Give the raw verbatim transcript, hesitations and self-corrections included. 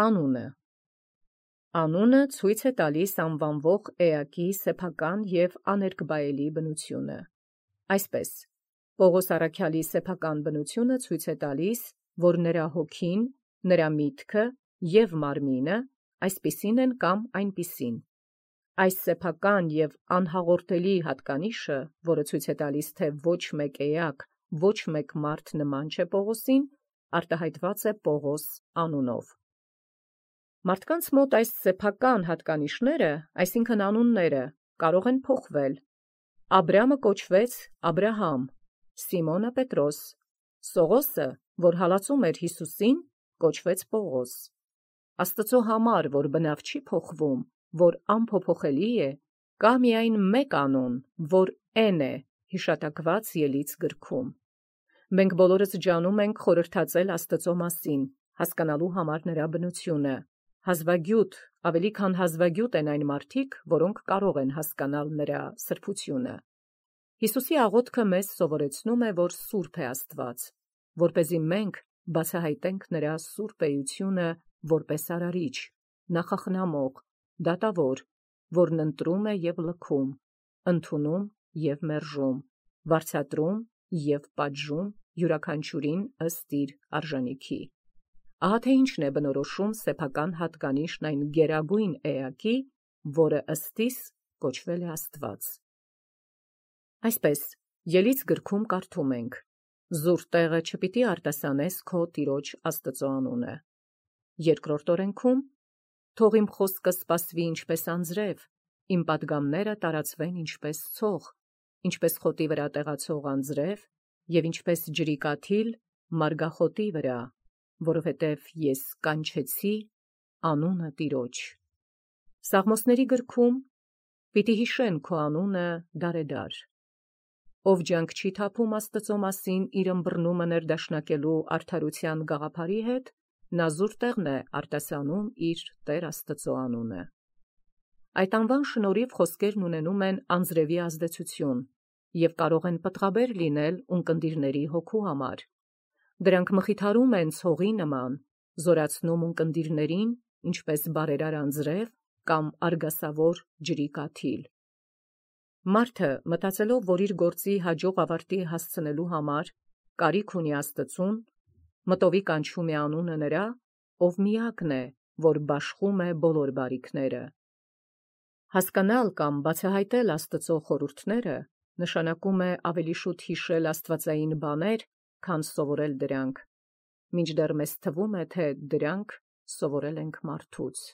Անունը Անունը ցույց է տալիս անվանվող էակի սեփական և աներկբայելի բնությունը։ Այսպես, Պողոս առաքյալի սեփական բնությունը ցույց է տալիս, որ նրա հոգին, նրա միտքը և մարմինը այսպիսին են կամ այնպիսին։ Այս սեփական և անհաղորդելի հատկանիշը, որը ցույց է տալիս, թե ոչ մեկ էակ, ոչ մեկ մարդ նման չէ Պողոսին, արտահայտված է Պողոս անունով։ Մարդկանց մոտ այս սեփական հատկանիշները, այսինքն անունները, կարող են փոխվել։ Աբրամը կոչվեց Աբրահամ, Սիմոնը Պետրոս, Սողոսը, որ հալածում էր Հիսուսին, կոչվեց Պողոս։ Աստծո համար, որ բնավ չի փոխվում, որ անփոփոխելի է, կա միայն մեկ անուն, որ Էն է, հիշատակված ելից գրքում։ Մենք բոլորս ջանում ենք խորհրդածել Աստծո մասին, հասկանալու համար նրա բնությունը։ Հազվագյուտ, ավելի քան հազվագյուտ են այն մարդիկ, որոնք կարող են հասկանալ նրա սրբությունը։ Հիսուսի աղոթքը մեզ սովորեցնում է, որ սուրբ է Աստված, որպեսզի մենք բացահայտենք նրա սուրբ էությունը որպես արարիչ, նախախնամող, դատավոր, որն ընտրում է և լքում, ընդունում և մերժում, վարձատրում և պատժում յուրաքանչյուրին ըստ իր արժանիքի։ Ահա թե ինչն է բնորոշում սեփական հատկանիշն այն գերագույն էակի, որը ըստիս կոչվել է Աստված։ Այսպես, ելից գրքում կարդում ենք. «Զուր տեղը չպիտի արտասանես քո Տիրոջ Աստծո անունը»։ Երկրորդ օրենքում. «Թող իմ խոսքը սպասվի ինչպես անձրև, իմ պատգամները տարածվեն ինչպես ցող, ինչպես խոտի վրա տեղացող անձրև և ինչպես ջրի կաթիլ մարգախոտի վրա, որովհետև ես կանչեցի անունը Տիրոջ»։ Սաղմոսների գրքում. «Պիտի հիշեն քո անունը դարեդար»։ Ով ջանք չի թափում Աստծո մասին իր ըմբռնումը ներդաշնակելու արդարության գաղափարի հետ, նա զուր տեղն է արտասանում իր Տեր Աստծո անունը։ Այդ անվան շնորհիվ խոսքերն ունենում են անձրևի ազդեցություն և կարող են պտղաբեր լինել ունկնդիրների հոգու համար։ Դրանք մխիթարում են ցողի նման, զորացնում ունկնդիրներին, ինչպես բարերար անձրև կամ արգասավոր ջրի կաթիլ։ Մարդը, մտածելով, որ իր գործի հաջող ավարտի հասցնելու համար կարիք ունի Աստծուն, մտովի կանչում է անունը նրա, ով միակն է, որ բաշխում է բոլոր բարիքները։ Հասկանալ կամ բացահայտել Աստծո խորհուրդները նշանակում է ավելի շուտ հիշել աստվածային բաներ, քան սովորել դրանք, մինչդեռ մեզ թվում է, թե դրանք սովորել ենք մարդուց։